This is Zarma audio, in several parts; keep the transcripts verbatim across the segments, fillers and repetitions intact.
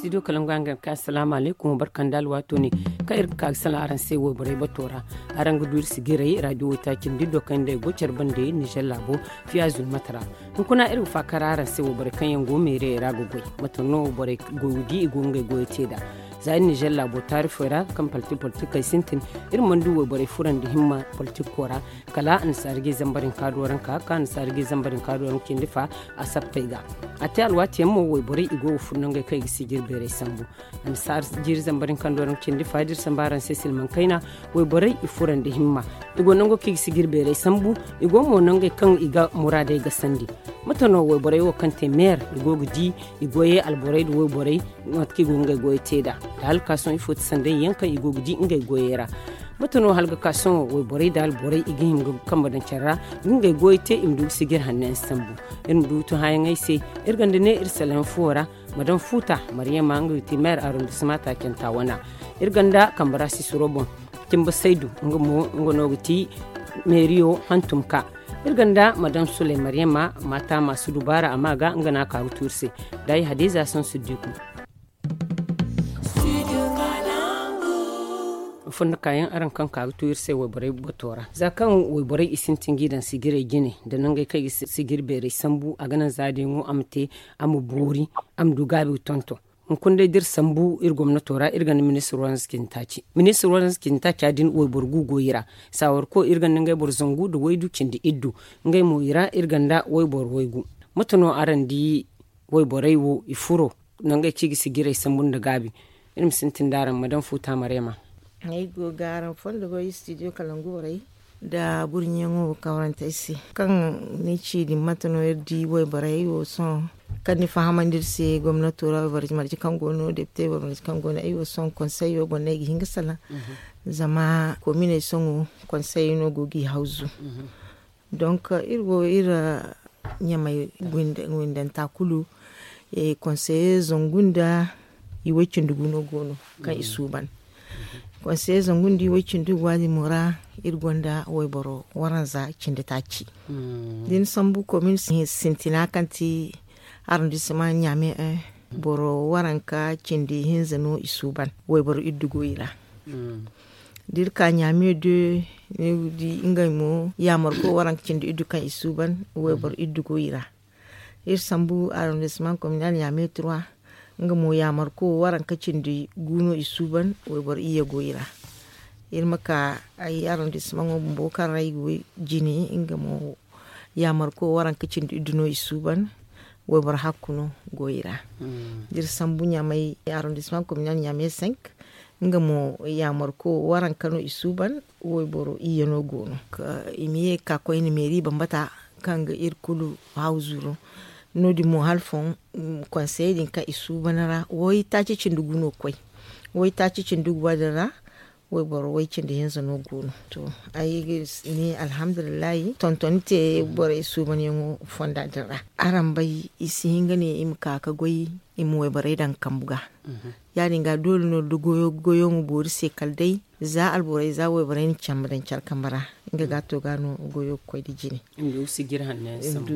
Studio kalangu araŋ ga ka asalaamu alaykum barka nda alwaato ne kaŋ iri ga ka ga salaŋ araŋ se wayborey bato ra. Araŋ ga du iri sigiray radio waytaaci nda iddo kaŋ nda ay go care bande nizer laabo fiya zulmata ra. Hunkuna iri ga faakar araŋ se wayborey kaŋ yaŋ go meerey ra ga goy mate no borey go ga di i go ngey goyo te nd'a. Za iri nizer laabo taarifoy ra kaŋ palti politikey sintin, iri mana du wayborey furandi himma politiko ra. Kala annasaari ga i zambar hinka do ranka ka annasaari ga i zambar hinka do ranka cindi fa a sappey ga. A te alwaati yaŋ mo wayborey i go ga furo nangey kaŋ i ga sijir beerey sambu. Annasaari jiiri zambar hinka do ranka cindi fa da iri samba araŋ se silmaŋ kayna. Wayborey i furandi himma, i go nango kaŋ i ga sijir beerey sambu. I go mo nangey kaŋ i ga muraadey gasandi. Mate no wayborey wo kaŋ te meer i go ga di i goyey alborey nda wayborey mate kaŋ i go ga ngey goyey te nd'a? Da hala ga ka sohõ ifo ti sanday yaŋ kaŋ i go ga di ngey goyey ra? Mate no hala ga ka sohõ wayborey nda alborey i ga hima ga kambe daŋ care ra ga ngey goyey te i ma du ga sijir hanno yaŋ sambu? Iri ma du ga tun hããyaŋey se. Iri gonda ne iri salaŋ fuwo ra madam futa maryama nga ga ti meer arrondissement taacanta wana. Iri gonda kambe ra sisiro boŋ cimba saydu nga mo nga no ga ti meeriyo hantum ka. Iri gonda madam suley maryama mata masu dubaara amma ga nga no a ka ga tu iri se. Da ay hadiza saŋ siddiku. Fondo kaayaŋ araŋ kaŋ ka ga tu iri se wayborey bato ra za kaŋ wayborey i sintin g'i daŋ sijiray jine nda nangey kaŋ i ga sijir beeray sambu a ga naŋ za day ŋo a ma te a ma boori a ma du gaabi ga tonton. Hunkuna day da iri sambu iri gomnato ra iri gonda ministir waranza cindi taaci ministir waranza cindi taaca din wayboro gu go i ra. Saawarko iri gonda ngey boro zangu nda waydu cindi iddu. Ngey mo i ra iri gonda wayboro waygu. Mate no araŋ di wayborey wo i furo nangey kaŋ i ga sijiray sambu nda gaabi? Iri ma sintin da araŋ madam futa maryama. Ay go ga araŋ fondo goy studio kalangu borey nda burɲiyaŋo kawrante ay se kaŋ ni ci din mate no iri di wayborey wo sohõ kaŋ ni fahamandi iri se gomnato ra wayborey marje kaŋ go no depite wayborey marje kaŋ go no ay wo sohõ konseyo boŋ no ay ga hin ga salaŋ. Zama kominey sohõ konseyo no go g'i hawzu. Donk iri wo iri ɲamay windanta kulu konseye zangu nda i way cindi gu no go no kaŋ i suuban. Konseye zangu nda i way cindi gu waadin mo ra iri gonda wayboro waranza cindi taaci. Da ni sambu komin sintina kaŋ ti arrondissement ɲame boro waranka cindi hinza no i suuban wayboro iddu go i ra. Da iri ka ɲaame de ni ga di ngey mo yaamarko waranka cindi iddu kaŋ i suuban wayboro iddu go i ra. Iri sambu arrondissement communal ɲaame trois nga mo yaamarko waranka cindi gu no i suuban wayboro iyye go i ra. Iri ma ka ay arrondissement ŋo bumbo kaŋ ra ay go jine nga mo yaamarko waranka cindi iddu no i suuban wayboro hakku no go i ra. Da iri sambu ɲaamey arrondissement communal ɲaamey cinq nga mo yaamarko waranka no i suuban wayboro iyye no go no. I ma ye ga ka koyne meeri bambata kaŋ ga iri kulu hawzu no. No- din mo hala foŋ konseye din kaŋ i suuban ra waytaaci cindi gu no ga koy. Waytaaci cindi gu waadin ra wayboro way cindi hinza no go no. To ay ga ne alhamdulillahi tontoni te borey suubanyaŋo fonda din ra. Araŋ bay i si hin ga ne i ma ka ga goy i ma wayborey daŋ kambu ga. Ya- din ga doole no da goyo goyo ma boori se kala day za alborey za wayborey na cambe daŋ care kambe ra nga ga to ga no goyo ga koy nda jine. I ma du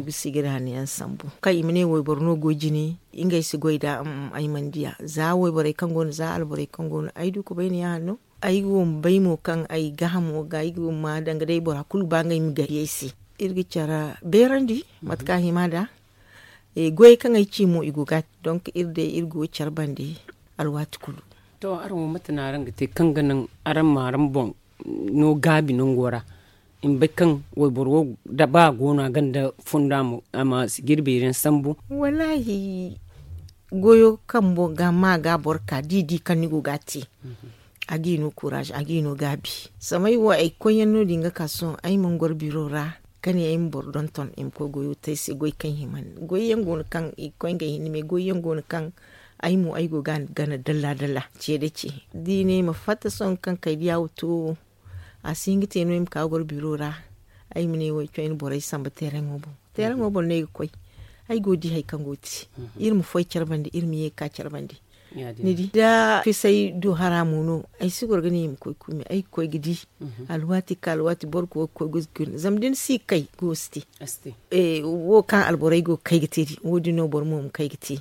ga sijir hanno yaŋ sambu. Kaŋ i ma ne wayboro no go jine ngey si goy nd'a. Ay mana diya za wayborey kaŋ go no za alborey kaŋ go no ay du ga bay no ya- hanno. Ay go ma bay mo kaŋ ay gaahamo ga ay go ma danga day bora kulu ba ngey ma gari ay se. Iri ga care beerandi mate kaŋ a hima nd'a. Goyey kaŋ ay ci mo i go ga a te donk iri day iri go care bande alwaati kulu. To araŋ wo mate no araŋ ga te kaŋ ga naŋ araŋ ma araŋ boŋ no gaabi nango ra? I ma bay kaŋ wayboro wo da ba a go no a gonda funda mo a ma sijir beeri yaŋ sambu. Wallaahi goyo kaŋ boro ga ma ga boro ka da i di kaŋ ni go ga a te a ga i no kuraaze a ga i no gaabi. Samay wo ay koy yaŋ no- din ga ka sohõ ay mana goro biro ra ka ne ay ma boro donton i ma koy goyo te ay se goy kaŋ hima. Goy yaŋ go no kaŋ i ga koy ngey hinne me goy yaŋ go no kaŋ ay mo ay go ga a gana dalla dalla ce da ce da i ne ay ma fatta sohõ kaŋ kay diya wo to. A si hin ga te no ay ma ka goro biro ra ay ma ne wo ay caway ni borey samba teeraŋo boŋ. Teeraŋo boŋ no ay ga koy ay go ga di hari kaŋ go ga te. Iri ma foy care bande iri ma ye ga ka care bande. Ni di da fisay du hara mo no ay si goro ga ne i ma koy kuumi ay ga koy ga di. Alwaati ka alwaati boro go ga koy ga koy ga koy zama da ni si kay go si te. Wo kaŋ alborey go ga kay ga te din wo- din no boro mo ma kay ga te.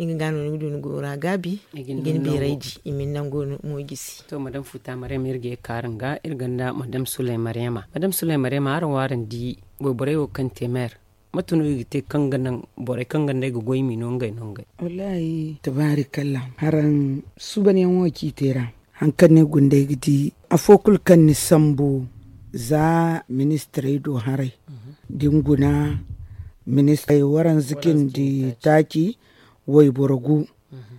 Nga ga no ni ga du ni goyo ra gaabi. I ga ni beeray di. I ma ni nango mo jisi. To madam futa maryam iri ga ye ga kaaru nga iri gonda madam sulay maryama madam sulay maryama araŋ wo araŋ di wayborey wo kaŋ te meer? Mate no i ga te kaŋ ga naŋ borey kaŋ ga nd'ey ga goy m'i no ngey no ngey? Wallaahi tabaari kalla, haraŋ suubanyaŋo ciitey ra. Hari kaŋ no ay guna day ga di afo kulu kaŋ ni sambu za ministirey do haray, da ni guna ministirey waranza cindi taaci, wayboro gu.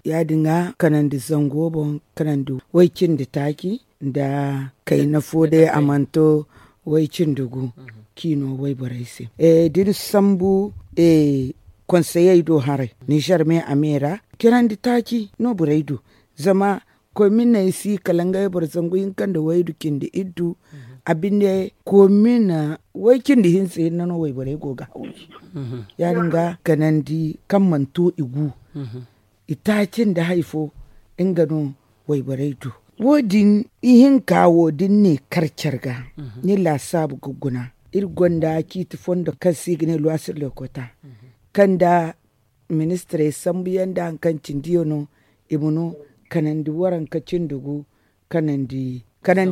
Ya- din ga kanandi zango boŋ, kanandi way cindi taaci nda kayna fo day a mana to way cindi gu, kaŋ i no wayborey se. Da ni sambu konseyey do haray, ninzeer me a me ra, cinandi taaci no borey du. Zama koy miney si kala ngey boro zangu hinka nda waydu cindi iddu. A binde koy mina way cindi hinza hinne no wayborey go ga hawri. Ya- din ga kanandi kaŋ mana to i gu, i taaci nda hari fo, nga no wayborey du. Wo- din ihinka wo da ni ne kar care ga, ni laasaabu ga guna. Iri gonda ciiti fondo kaŋ se i ga ne luwasir lekota, kaŋ nda ministirey sambu yaŋ nda hari kaŋ cindi yaŋ no, i ma no kanandi waranka cindi gu, kanandi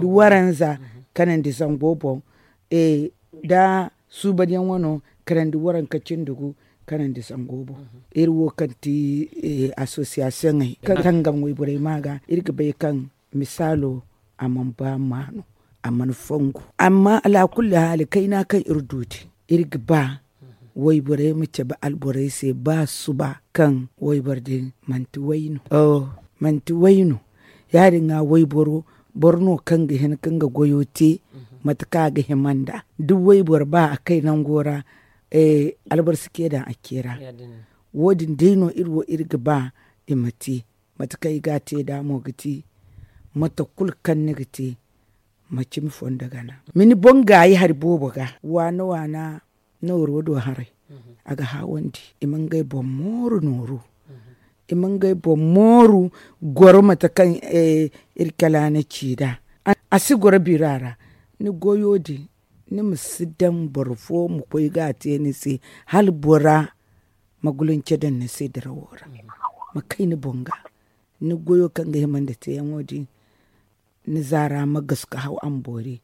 waranza, kanandi zango boŋ. Nda suubanyaŋ wano kanandi waranka cindi gu, kanandi zango boŋ. Iri wo kaŋ ti asosiyasiyoŋey kaŋ tangam wayborey ma ga, iri ga bay kaŋ misaalo a mana ba maanu, a mana fongu. Amma alaakulli haali kayna kaŋ iri du din, iri ga ba wayborey ma cabe alborey se ba suba kaŋ wayboro din manti way no. Manti way no. Ya- din ga wayboro, boro no kaŋ ga hin ka nga goyo te mate kaŋ a ga hima nd'a. Da wayboro ba a kay nango ra, alboro si ce daŋ a ce ra. Wo- din day no iri wo iri ga ba i ma te. Mate kaŋ i ga a te nd'a mo ga ti, mate kulu kaŋ ni ga te, ma cimi fondo gana. Ma ni boŋ gaayi hari boobo ga, waana waana nooro do haray. A ga hawandi i ma ngey boŋ mooru nooru. I ma ngey boŋ mooru goro mate kaŋ iri kala na ci nd'a. A si goro bira ra. Ni goyo din, ni ma si daŋ boro fo ma koy ga a te ni se, hala bora ma gulunce daŋ ni se dirawo ra, ma kay ni boŋ ga. Ni goyo kaŋ ga hima nda teyaŋo din, ni zaara ma gasu ka haw a ma boori,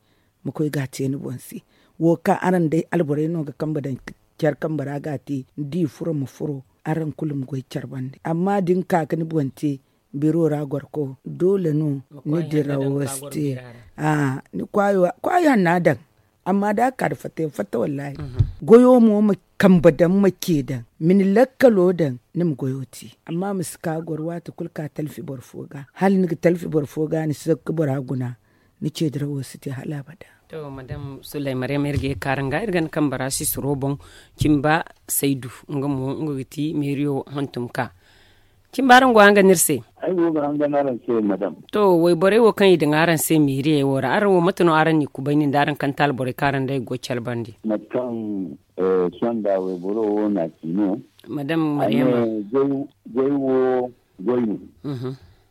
ma koy ga a te ni boŋ se. Wo kaŋ araŋ day alborey no ga kambe daŋ care kambe ra ga a te, ni di furo ma furo, araŋ kulu ma goy care bande. Amma da ni ka ga ni boŋ te biro ra gorko, doole no ni dirawo si te. Ni kwaayi hanna daŋ. Amma da a ka da fatta yaŋ fatta wallaahi. Goyo mo ma kambe daŋ ma ce daŋ, ma ni lakkalo daŋ, ni ma goyo te. Amma ma si ka goro waati kulu ka talfi boro fo ga, hala ni ga talfi boro fo ga ni si zakka bora guna, ni ce dirawo si te hala abada. To madam sulay maryam iri ga ye ga kaaru nga iri ga ni kambe ra sisiro boŋ. Cimba saydu, nga mo nga ga ti meeriyo hantum ka. Cimba araŋ go hanga no iri se? Ay go ga hanga no araŋ se madam. To wayborey wo kaŋ i daŋ araŋ se meeriyey wo ra, araŋ wo mate no araŋ n'i kubay nin da araŋ kanta alborey kaŋ araŋ day go care bande? Mate kaŋ sonda wayboro wo no a ci no. Madam maryama. Goy wo goy no.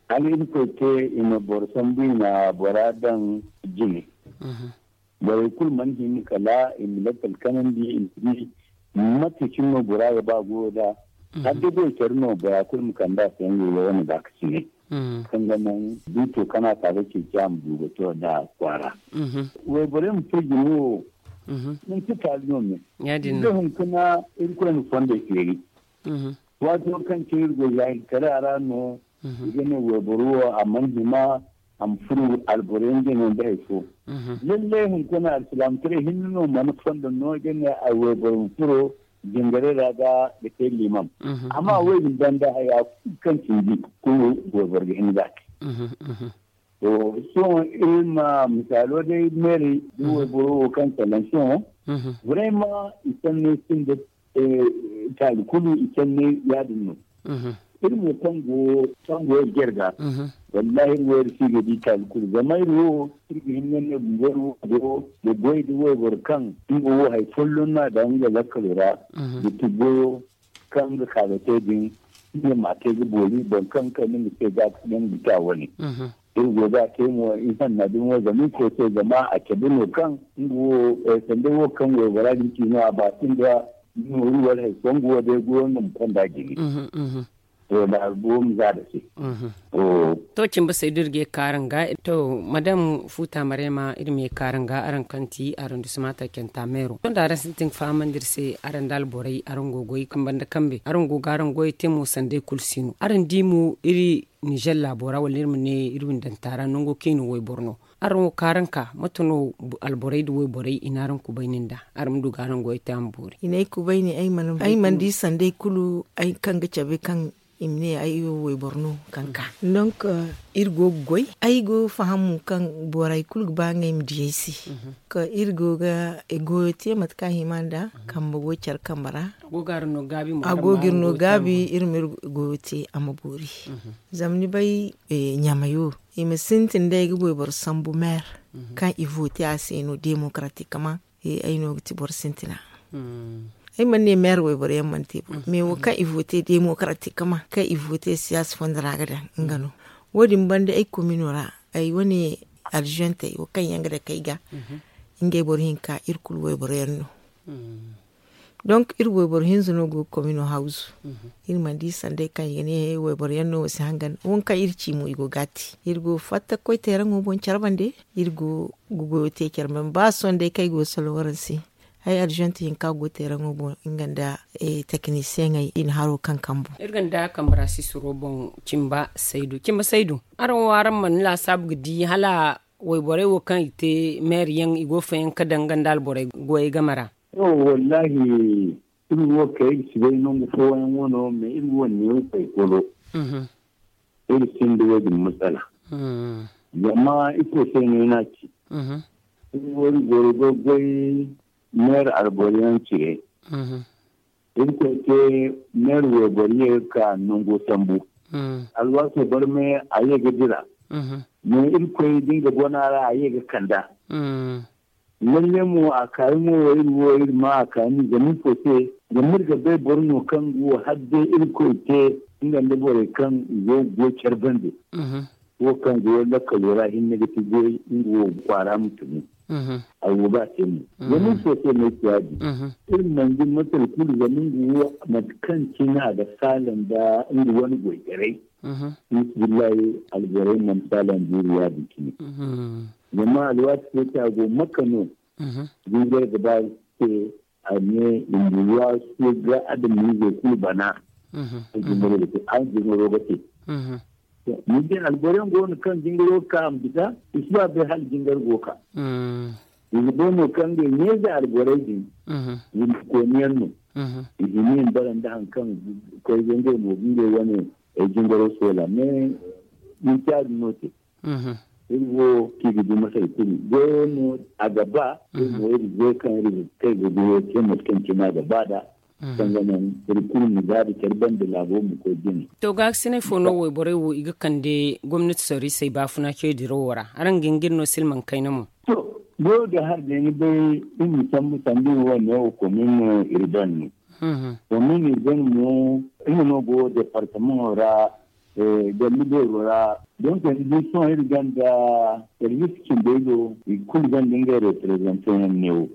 Hala irkoy te i ma boro sambu i na bora daŋ jine. Borey kulu mana hin kala i ma lakkal kanandi i ma di mate cine no bora ga ba goyo da. Har da goy care no bora kulu ma kande a se ngey wo wane baakasinay, kaŋ ga naŋ buto kaŋ a ka ga ceeci a ma du ga to da kwaara. Wayborey ma furo jine wo manti taali no me. Da hunkuna irkoy na fondey feeri. Waato kaŋ cine iri go jahil kare a ra no, i ga ne wayboro wo a mana hima a ma furo alborey nda no nda hari fo. Lallay hunkuna alsilaamataray hinne no mana fondo no ga ne wayboro ma furo jingaray ra ga ga te liimam. Amma wo din banda haya kulu kaŋ cindi kulu wayboro ga hin ga a te. To sohõ iri ma misaalo day meeri da wayboro wo kaŋ salaŋ sohõ. Vraiment i sanni sinda taali kulu i sanni ya- din no. Iri mo kaŋ go kaŋ go iri jare ga, wallahi iri wo iri si ga di taali kulu zama iri wo iri ga hin ga ne bumbo iri wo go ga goy da wayboro kaŋ nga wo hari folloŋ no a daŋ nga lakkalo ra. Ga ti goyo kaŋ nga ka ga te din, nga ma te ga boori boro kaŋ kay ni ma te ga ga bisa wane. Iri go ga te mo ihanna din wo zama iri koy se zama a cabe no kaŋ nga wo sanda wo kaŋ waybora din ci no a ba sinda nooru wala hari fo nga wo day goyo nga ma konda jine. To da albuwam za da se. To cimba saydu iri ga ye kaaraŋ ga. To madam futa marema iri ma ye kaaraŋ ga araŋ kaŋ ti arondismanta kenta meero to da araŋ sintin ga fahamandi iri se araŋ da alborey araŋ go goy kambe nda kambe araŋ go ga araŋ goyey te mo sanday kulu si no araŋ di mo iri nizer laabo ra wala iri ma ne iri windanta ra nango kaŋ i na wayboro no. Araŋ wo kaaraŋ ka mate no alborey nda wayborey i na araŋ kubayni nd'a? Araŋ ma du ga araŋ goyey te a ma boori. I n'ay kubayni ay mana di sanday kulu ay kaŋ ga cabe kaŋ i ma ne ay wo wayboro no kaŋ ka. Donk iri go ga goy ay go ga faham mo kaŋ borey kulu ga ba ngey ma di ay se. Ka iri go ga goyo te mate kaŋ a hima nd'a kambe goy care kambe ra. A go ga iri no gaabi iri ma iri goyo te a ma boori. Zama ni bay ɲamayo i ma sintin day ga wayboro sambu meer kaŋ i vote a se no demokaratikaman. Ay no ga ti boro sintina. Ay mana ne meer wayboro yaŋ mana te bo mais wo kaŋ i vote demokaratikaman kaŋ i vote siyaasa fondo ra ga daŋ nga no. Wo- din banda ay komino ra ay wane arziyantey wo kaŋ yaŋ ga dake ay ga ngey boro hinka iri kulu wayboro yaŋ no. Donk iri wayboro hinza no go ga komino hawzu. Iri mana di sanday kaŋ i ga ne wayboro yaŋ no wo si hangan wo kaŋ iri ci mo i go ga a te iri go ga fatta ga koy teeraŋo boŋ care bande. Iri go ga goyo te care bande ba sohõ day kaŋ ay go ga salo waraŋ se. Ay arziyante hinka go ga teeraŋo boŋ nga nda tekinisiyeŋey i na haro kaŋ kambu. Iri ga nda kambe ra sisiro boŋ. Cimba saydu cimba saydu. Araŋ wo araŋ mana laasaabu ga di hala wayborey wo kaŋ i te meeri yaŋ i go ga fayaŋ ga daŋ nga nda alborey goyey game ra? To wallaahi iri wo kay iri si bay nangu fooyaŋ wano mais iri wo neewo kay kolo. Iri sinda wo- din masala. Zama ifo se no ni a ci? Iri wo iri goro ga goy meer alboro yaŋ cire. Iri koy te meer wayboro ye ga ka nango sambu. Alwaaso barmay a ye ga dira. Mais iri koy da nga bona ra a ye ga kanda. Lalle mo a kaayi mo wo iri wo iri ma a kaani zama ifo se? Zama iri ga bay boro no kaŋ ga wo hala day iri koy te nga nda borey kaŋ i go ga goy care bande. Wo kaŋ go lakkalo ra hinne ga ti goy nga wo kwaara ma tunu. A go ga a te mo. Zama ifo se no ay ci ya- din? Iri mana di masal kulu zama nga wo mate kaŋ cine a ga saala nda nga wane goytaray. Billahi alborey mana saala nda iri ya- din cine. Zama alwaati fo te a go makka no. Jingar ga ba se a ne i ma waasu ga adamiizey kulu bana. Kaŋ jingaro ga te. Ni di alboro yaŋ go no kaŋ jingaro ga ka a ma bisa i si ba bay hala jingar go ga ka. I ga bay no kaŋ ngey ɲeeze alborey din. Windi kooni yaŋ no. I hima i ma bara nda hari kaŋ koy ga ngey mo ga ngey wane jingaro soola mais manti ya- din no te. Iri wo kaŋ i ga di masal kulu goyo no a ga ba. Iri mo iri goy kaŋ iri ga kay ga goyo te mate kaŋ cine a ga ba nd'a. Sanga naŋ iri kulu ma gaabi care banda laabo ma koy jine. To gaakasinay fo no wayborey wo i ga kande gomnati sorrisey baafuna cey dirawo ra? Araŋ ga hin ga iri no silmaŋ kayna mo? To goyo ga hari day ni bay iri ma sambu sanda iri wo neewo komin urbaine no. Komin urbaine mo nga no go departamaŋo ra. Galli beero ra. Donc ni di sohõ iri gonda service cindey do i kulu gonda ngey reprezante yaŋ neewo.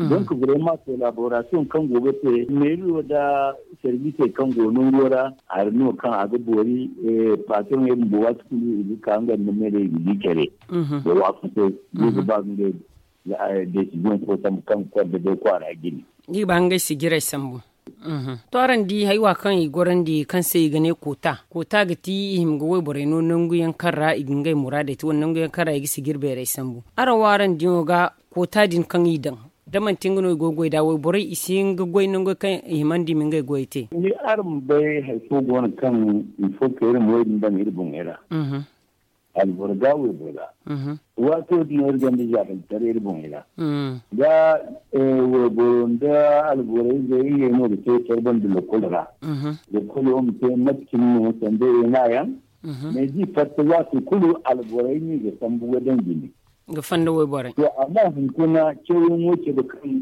Donc vraiment collaboration kaŋ go ga te meeri wo nda servicey kaŋ go nango ra hari no kaŋ a ga boori. Patron iri bumbo waati kulu i ga ka nga nda meerey i ga di care da waafaso i ga ba ga ngey décision fo sambu kaŋ ga konda day kwaara jine. Ni ga ba ngey sijirey sambu. To araŋ di haywa kaŋ i gorandi kaŋ se i ga ne koota koota ga ti i hima ga wayborey no nangu yaŋ kaŋ ra i ga ngey muraadey te wala nangu yaŋ kaŋ ra i ga sijiri beerey sambu. Araŋ wo araŋ diyaŋo ga koota din kaŋ i daŋ da manti nga no i go ga goy nd'a wayborey i si hin ga goy nangu kaŋ i himandi i ma ngey goyey te? Ni araŋ ma bay hari fo go no kaŋ il faut que iri ma wo- din daŋ iri boŋey ra. Alboro ga wayboro ra. Waato din no iri gonda jahiltaray iri boŋey ra. Da wayboro nda alboro izey ngey no ga te care banda lokol ra. Lokolo ma te mate cine no sanda ena yaŋ. Mais da i fatta waato kulu alborey no i ga sambu ga daŋ jine. Ga fanda wayborey. To amma hunkuna cawyaŋo cabe kaŋ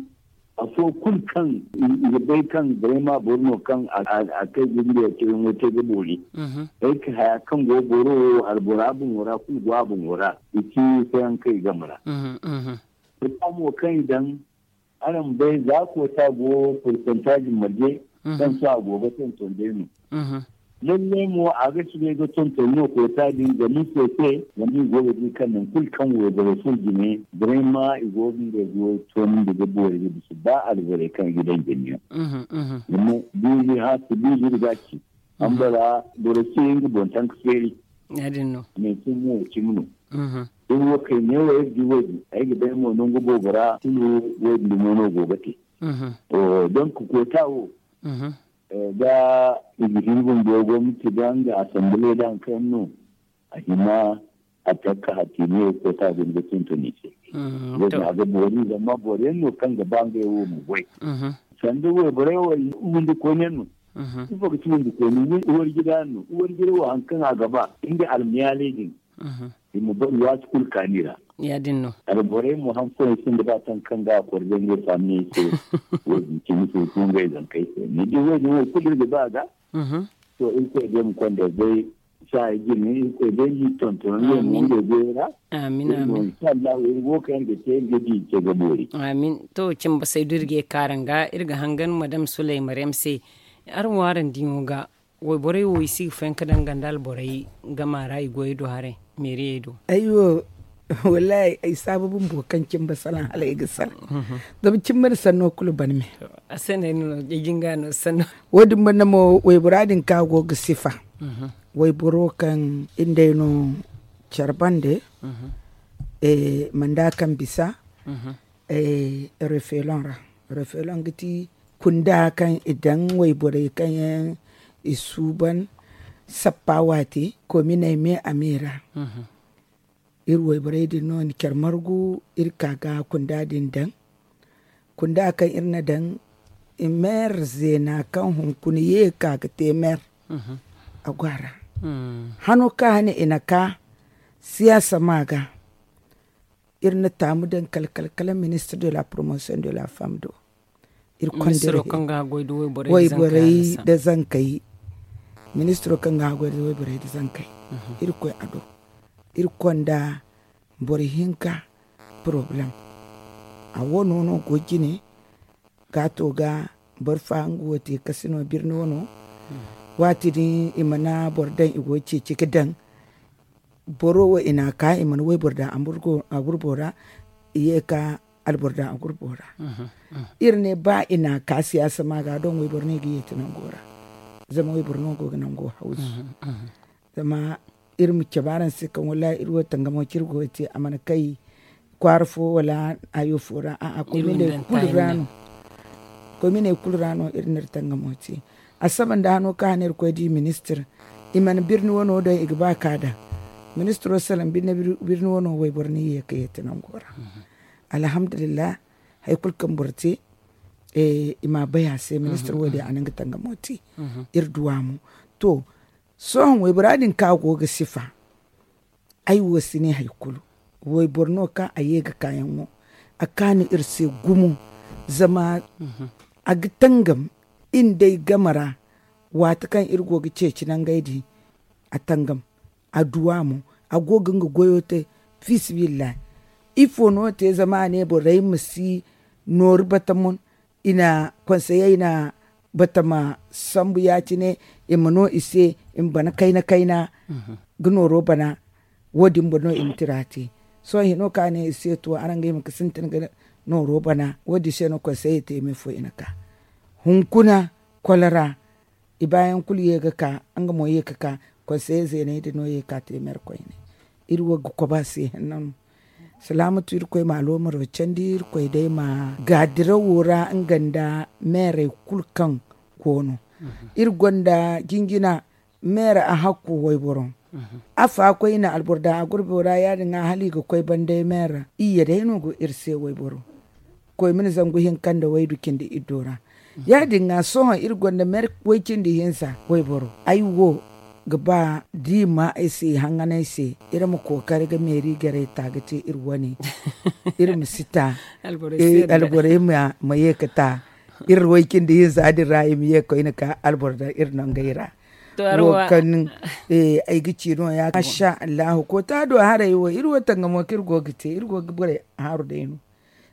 afo kulu kaŋ i ga bay kaŋ vraiment boro no kaŋ a kay ga ngey cawyaŋo te ga boori. Ay ka haya kaŋ go boro wo albora boŋo ra kulu go a boŋo ra. I ci sayaŋ kaŋ i game ra. Koota mo kaŋ i daŋ araŋ ma bay za koota go pourcentage marje kaŋ sohõ a go ga tonton day no. Lalle mo a ga soobay ga tonton no koota din zama ifo se? Zama i go ga di kaŋ nangu kulu kaŋ wayborey furo jine, vraiment i go ga ngey goyo toonandi ga boori ga bisa ba alborey kaŋ i ga daŋ jine yaŋ. Zama biizi hã si biizi iri ga ci. Ambara boro si ye nga boŋ tanka feeri. Manti mo cimi no. Iri wo kay neewo iri di wo-din ay ga bay mo nangu boobo ra kulu wo-din dumo no go ga te. Donc koota wo, da i ga hin bumbo gomnati da nga assemblée da hari kaŋ no a hima a takka hatti ne koota din ga tonton i se. Wo-din a ga boori zama boro yaŋ no kaŋ ga ba ngey wo ma goy. Sanda wayborey wo windi koyne no. Ifo ga ci windi koyne? Warjida no. Warjida wo hari kaŋ a ga ba nga almayaaley din i ma bari waati kulu kaani ra. Ya-din no. Alborey mo hari fooyaŋ sinda ba taŋ kaŋ ga a kori day ngey faamiyey se. Wo-din cimi se kulu ngey zankey se ni di wo-din wo kulu iri ga ba a ga. To irkoy day ma konda day saaya jine irkoy day ma tonton ngey mo ngey goyo ra. Amin. Amin. Inshallahu iri wo kaŋ ga te iri ga di ce ga boori. Amin. To cimba saydu iri ga kaaranga iri ga hangan madam sulay maryam se. Araŋ wo araŋ diŋo ga wayborey wo i si ga fayanka daŋ ganda alborey gama ra i goyey do haray meeriyey do. Ayyo. Wallahi ay saabu bumbo kaŋ cimba salaŋ hala ay ga salaŋ. Zama cimba na sanno kulu ban me. A se no ay no ay jinga no sanno. Wo-din banda mo waybora din kaŋ a go ga sifa wayboro kaŋ iri nd'ay no care bande manda kaŋ bisa refelon ra. Refelon ga ti kunda kaŋ i daŋ wayborey kaŋ yaŋ i suuban sappa waati kominey me a me ra. Iri wayborey din no ni care margu iri ka ga kunda din daŋ. Kunda kaŋ iri na daŋ i meer zeena kaŋ hunkuna ye ka ga te meer. A go a ra hano kaŋ hane i na ka siyaasa ma ga iri na taamu daŋ kala kala kala ministre de la promotion de la femme do. Iri konda iri wayborey da zankey. Ministro kaŋ ga haggoy da wayborey da zankey. Iri koy a do iri konda boro hinka problem. A wano no go jine ga to ga boro fa nga wo te kasino birni wano. Waati din i mana boro daŋ i go ceeci ga daŋ boro wo i na ka i mana wayboro daŋ a gurbo ra. I ye ka alboro daŋ a gurbo ra. Iri ne ba i na ka siyaasa ma ga doŋ wayboro no i ga yeeti nango ra. Zama wayboro no go ga nango hawzu. Zama iri ma cabe araŋ se kaŋ wallahi iri wo tangamo kaŋ iri go ga te a mana kay kwaara fo wala hayo fo ra a'a koy ma ne kulu ra no. Koy ma ne kulu ra no iri na iri tangamo te. A saba nda hano kaŋ hane iri koy di ministir i mana birni wano daŋ i ga ba ka daŋ. Ministiro salaŋ birni wano wayboro no i ye ka yeeti nango ra. Alhamdulillah. Hari kulu kaŋ boro te i ma a bay a se ministir wo- din a na nga tangamo te. Iri duwa mo to sohõ waybora din kaŋ a go ga sifa. Ay wo si ne hari kulu wayboro no kaŋ a ye ga kaayaŋo a kaanu iri se gumo. Zama a ga tangam iri nd'ay game ra waati kaŋ iri go ga ceeci nangey din. A tangam a duwa mo a go ga nga goyo te. Fiisabilillahi ifo no te zama a ne borey ma si nooru batamon i na konseyey na batama sambu ya- cine i ma no i se i ma bana kayna kayna ga nooro bana. Wo- din boro no i ma tira te. Sohõ hino kaŋ a ne i se to araŋ ga hima ga sintin ga nooro bana wo- din se no konseyey te i ma ifo i na ka hunkuna kwala ra. I baayaŋ kulu ye ga ka nga mo ye ga ka konseye zeeney din no ye ga ka te mere koyne. Iri wo ga koba se hinne no. Salaamatu irkoy ma aloomaro candi irkoy day ma gaadirawo ra nga nda meerey kulu kaŋ go no. Iri gonda jinjina meera a hakku wayboro. Afa koy i na alboro daŋ a gurbo ra ya- din ŋwa hala i ga koy banday meera iyye day no go iri se wayboro. Koy ma ni zangu hinka nda waydu cindi iddo ra. Ya- din ŋwa sohõ iri gonda meera way cindi hinza wayboro ay wo ga ba da i ma ay se i haŋanay se. Iri ma kookari ga meeri garay ta ga te iri wane. Iri ma si ta alborey ma ye ga ta iri way cindi hinza din ra i ma ye ga koyne ka alboro daŋ iri nangey ra. Wo kaŋ ay ga ci no- ya masha allahu koota do haray wo iri wo tangamo kaŋ iri go ga te iri go ga borey haaru day no.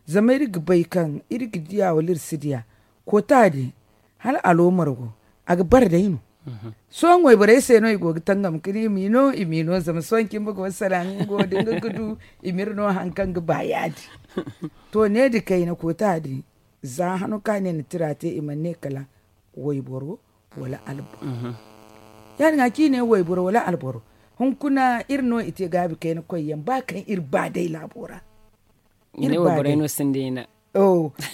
Zama iri ga bay kaŋ iri ga diya wala iri si diya koota din hala aloomar go a ga bare day no. Sohõ wayborey se no i go ga tangam ka ne i m'i no i m'i no zama sohõ cimba go salaŋ nga wo da nga ga du i m'iri no haŋ kaŋ ga ba yaadi. To ne da kayna koota din za hano kaŋ a ne na tira te i mana ne kala wayboro wala alboro. Ya- din ga ci ne wayboro wala alboro hunkuna iri no i te gaabi kayna koy yaŋ ba kaŋ iri ba day laabo ra.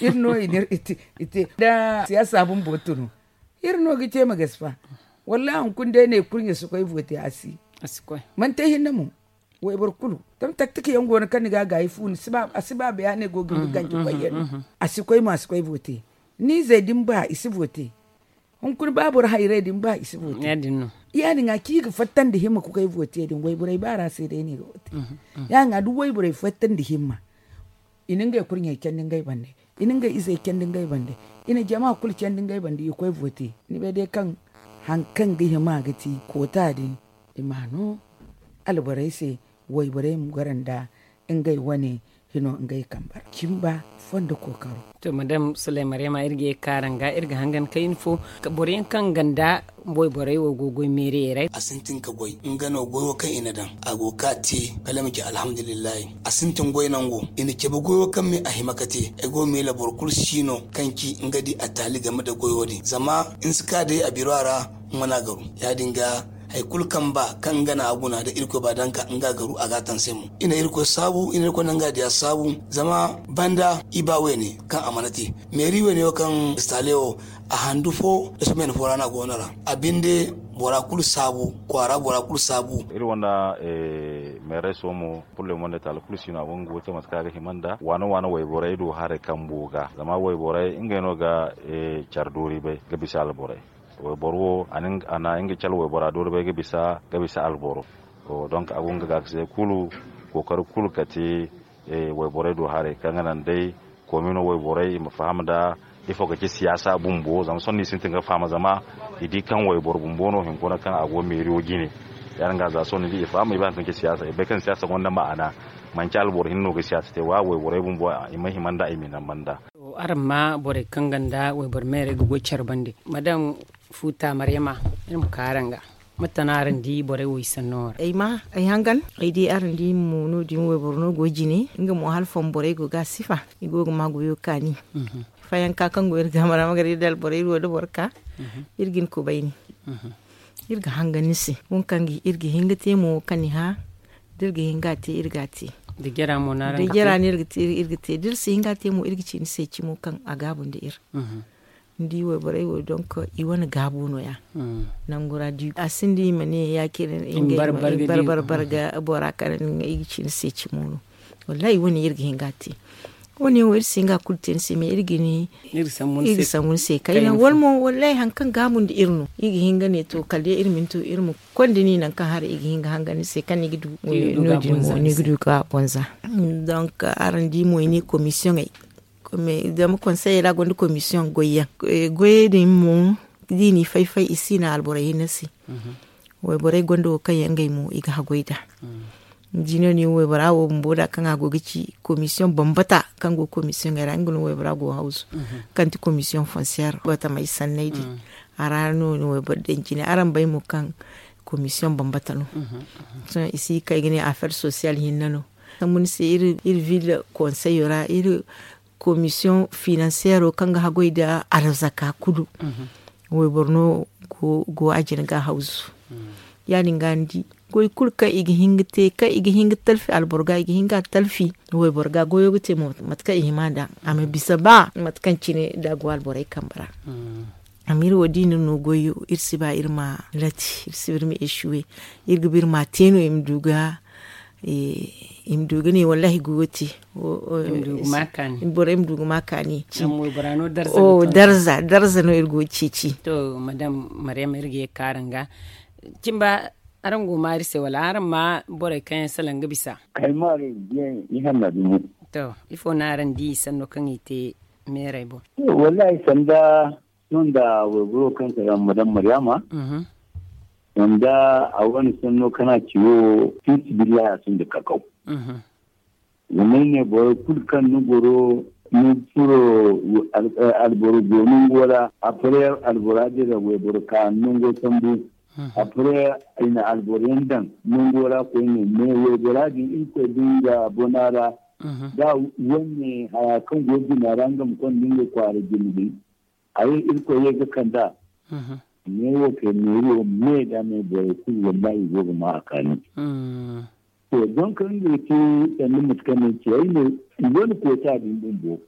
Iri no i ne iri te da siyaasa bumbo tunu iri no ga ce ma gasi fa. Wallahi hunkuna day ne kurɲe si koy vote a si. Manti ay hinne mo. Wayboro kulu zama taktik yaŋ go no kaŋ ni ga a gaayi fu a si ba bayaaney go ga ni ga ganji koy yaŋ no. A si koy mo a si koy vote. Ni izey da ni ba i si vote. Hunkuna ba boro hayrey da ni ba i si vote. Ya- din ga ci i ga fatta nda himma ga koy vote din wayborey ba ra se day no i ga vote. Ya- din ga da wayborey fatta nda himma i na ngey kurɲey candi ngey bande. I na ngey izey candi ngey bande. I na jama kulu candi ngey bande i koy vote. Ni bay day kaŋ hari kaŋ ga hima ga ti koota din i ma no alborey se. Wayborey ma goro nda ngey wane hino ngey kambe ra cimba fondo kookaro. To madam sulay maryama iri ga ye ga ka araŋ ga iri ga hangan kayna fo boro yaŋ kaŋ ganda wayborey wo go ga goy meeriyey ra. A sintin ga goy nga no goyo kaŋ i na daŋ a go ga ka te kala ay ma ci alhamdulillahi. A sintin goy nango i na cabe goyo kaŋ me a hima ga te ay go ga miila boro kulu si no kaŋ ci nga di a taali game nda goyo din zama ni si ka day a biro a ra. Mana garu ya- din ga hari kulu kaŋ ba kaŋ nga na a guna da irkoy ba daŋ ka nga garu a ga a taŋ se mo i na irkoy saabu i na irkoy naŋ ga diya saabu. Zama banda i ba wayne kaŋ a mana te meeri wayne wo kaŋ stale wo a handu fo da semaine fo ra no a go no ra. A binde bora kulu saabu kwaara bora kulu saabu. Iri wanda meeray so mo purle mo nda taali kulu si no a go nga go te mate kaŋ a ga hima nda waano waano wayborey do haray kambo ga zama wayborey ngey no ga care doori bay ga bisa alborey. Wayboro wo a na nga cale waybora doori bay ga bisa alboro. Donk a go nga gaakasey kulu kookari kulu ka te wayborey do haray kaŋ ga naŋ day komino wayborey i ma faham nda ifo ga ci siyaasa bumbo zama sohõ no i sintin ga faham zama i di kaŋ wayboro bumbo no hinkuna kaŋ a go meeriyo jine. Ya- din ga za sohõ ni di i faham i bay hari kaŋ ga ci siyaasa i bay kaŋ siyaasa gonda ma'ana. Manci alboro hinne no ga siyaasa te wa wayborey bumbo i ma hima nda i ma i naŋ banda. Araŋ ma borey kaŋ ganda wayboro meerey ga goy care bande madam futa maryama iri ma ka araŋ ga. Mate no araŋ di borey wo i sanno wo ra ay ma ay hangan ay di araŋ di mo no- din wayboro no go jine nga mo hala fomborey go ga a sifa i go ga ma goyo kaani. Fayanka kaŋ go iri ga mara ma gar iri da alborey iri wo da boro ka iri ga ni kubayni. Iri ga hangan ni se wo kaŋ iri ga hin ga te mo kaŋ ni hã da iri ga hin ga a te iri ga a te. Da jara no iri ga te da iri si hin ga a te mo iri ga ci ni se cimo kaŋ a gaabu nda iri. Ni di wayborey wo donk i wane gaabo no- ya. Nangu ra di a sinda i ma ne ya- cine ngey barbar barga bora kaŋ i ga ci ni se cimo no. Wallahi wane iri ga hin ga a te. Wane wo iri si hin ga a kulu te ni se mais iri ga ni iri ga sambu ni se kayna wala mo wallahi hari kaŋ gaabu nda iri no iri ga hin ga ne to kala day iri ma ni to iri ma konda ni nangu kaŋ haray i ga hin ga hangan ni se kaŋ ni ga du. No- din mo ni ga du ga bonza. Donk araŋ di mo i ne commissioney zama konseyey ra gonda commission goyyaŋ goyey din mo da i n'i fay-fay i si naŋ alborey hinne se. Wayborey gonda wo kaŋ yaŋ ngey mo i ga haggoy nd'a. Ni di no- din waybora wo bumbo da kaŋ a go ga ci commission bambata kaŋ go commissioney ra nga no waybora go ga hawzu kaŋ ti commission foncière batamey sanney din. A ra no- din wayboro daŋ cine araŋ bay mo kaŋ commission bambata no. Sohõ i si kay ga ne affaire sociale hinne no. Sambu ni se iri ville conseil ra iri commission financière kaŋ ga haggoy nda arzaka kulu. Wayboro no go a jina ga hawzu. Ya- din ga ni di goy kulu kaŋ i ga hin ga te kaŋ i ga hin ga talfi alboro ga i ga hin ga a talfi wayboro ga goyo ga te mo mate kaŋ i hima nd'a a ma bisa ba mate kaŋ cine da a go alborey kambe ra. Amma iri wo da i na no goyo iri si ba iri ma lati iri si ba iri ma echuwe. Iri ga ba iri ma a te no i ma du ga i ma du ga ne wallahi goyo te. Borey ma du ga ma kaani. Darza darza no iri go ga ceeci. To madam maryam iri ga ye ga ka araŋ ga cimba araŋ go ma iri se wala araŋ ma borey kaŋ yaŋ salaŋ ga bisa? Ay ma araŋ ga biya ni hanna dumo. To ifo no araŋ di sanno kaŋ i te meerey boŋ? Wallahi sanda sohõ nda wayboro kaŋ salaŋ madam maryama sanda a wane sanno kaŋ a ci wo fi sibillahi a sinda kakaw. Zama ay ne boro kulu kaŋ ni goro Ni furo alboro go nango ra, après albora dira wayboro ka nango sambu. Après i na alboro yaŋ daŋ nango ra koyne, mais waybora din irkoy din ga bona ra. Da wane haya kaŋ go jina ra nga ma konda nga kwaara jina din, a ye irkoy ye ga kanda. Ne wo kay meeri wo me da me borey kulu wallahi i go ga ma a kaani. To, donc nga ga te sanda mate kaŋ no ay ci ay ne, i go na koota din bumbo.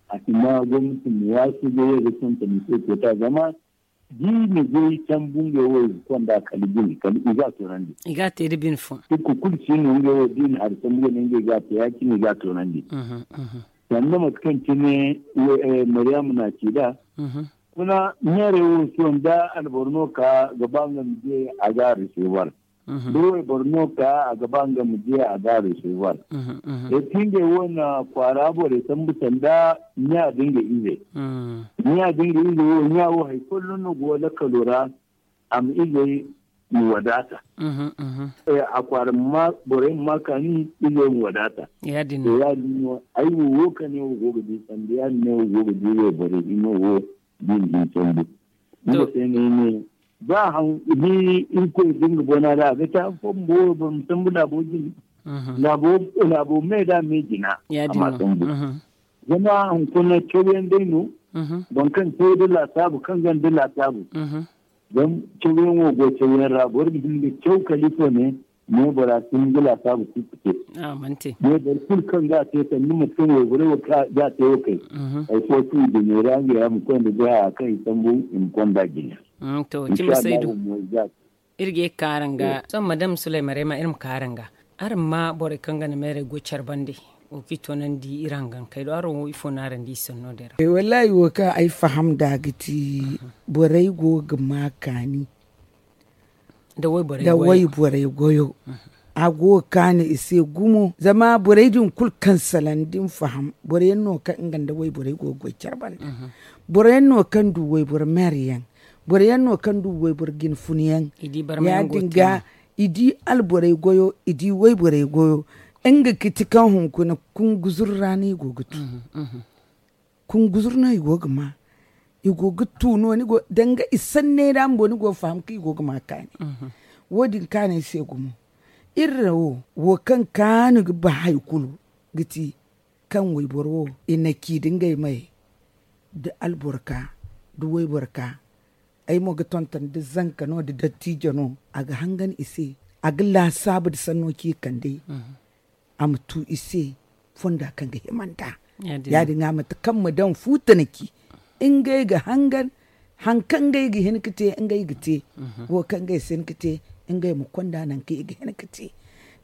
A si ma gwamnati ma waasu ga ye ga tonton i se koota zama da i na goy sambu ngey wo i ga konda kala bine kala i ga a toonandi. I ga a te da bine fo. Irkoy kulu si no ngey wo da i na hari sambu ga ne ngey ga a te ya- cine i ga a toonandi. Sanda mate kaŋ cine mariyama na ci da. Kuna meerey wo sohõ da alboro no ka ga ba nga ma je a ga a recevoir. Da wayboro no ka a ga ba nga ma je a ga a recevoir. Eti ngey wo na kwaara borey sambu sanda ɲa da nga ize. Ɲa da nga ize wo ɲa wo hari folloŋ no go lakkalo ra. A ma izey ma wadaata. A kwaara borey ma ma kaani izey ma wadaata. To ya- din no ay wo wo kane wo go ga di sanda ya- din no wo go ga di wayborey hino wo. Din din sambu nga se no ay ne ba haŋ ni irkoy da nga bona da a ga te han fo bumbo wayboro ma sambu laabo jina. Laabo me da me jina a ma sambu. Zama hunkuna cawyaŋ day no. Boro kaŋ caw da laasaabu kaŋ ganda laasaabu. Zama cawyaŋ wo go cawyaŋ ra boro ga hin ga caw kala ifo ne. Ne bora si hin ga laasaabu kulu ga te. Ne boro kulu kaŋ ga a te sanda mate kaŋ wayborey wo ga a te wo kay. Hari fo kulu i ga neera nga ya ma konda ga haya kaŋ i sambu i ma konda jina. To cimi saydu. Iri ga ye ga ka araŋ ga sohõ madam sulayma rema iri ma ka araŋ ga. Araŋ ma borey kaŋ ga na meerey goy care bande wo kaŋ i toonandi iri hangankey do araŋ wo ifo no araŋ di i sanno din ra? Wallahi wo kaŋ ay faham nd'a ga ti borey go ga ma kaani da wayborey goyo. A go ga kaani i se gumo zama borey din kulu kaŋ salaŋ da ni faham boro yaŋ no kaŋ nga nda wayborey go ga goy care bande. Boro yaŋ no kaŋ du wayboro meeri yaŋ. Boro yaŋ no kaŋ du wayboro jine funa yaŋ. Ya- din ga i di alborey goyo i di wayborey goyo. Nga ga ti kaŋ hunkuna kunguzur ra no i go ga tu. Kunguzur no i go ga ma i go ga tu no danga i sanney ra bumbo ni go ga faham kaŋ i go ga ma kaani. Wo- din kaanay se gumo. Iri ra wo wo kaŋ kaanu ga ba hari kulu ga ti kaŋ wayboro wo i na ci da ngey may da alborka da wayborka. Ay mo ga tonton da zanka no da dattijo no a ga hangan i se. A ga laasaabu da sanno ci kande a ma tu i se fonda kaŋ ga hima nd'a. Ya- din a mate kaŋ ma daŋ fuuta na ci ngey ga hangan haŋ kaŋ ngey ga hin ga te ngey ga te. Wo kaŋ ngey si hin ga te ngey ma konda naŋ kaŋ i ga hin ga te.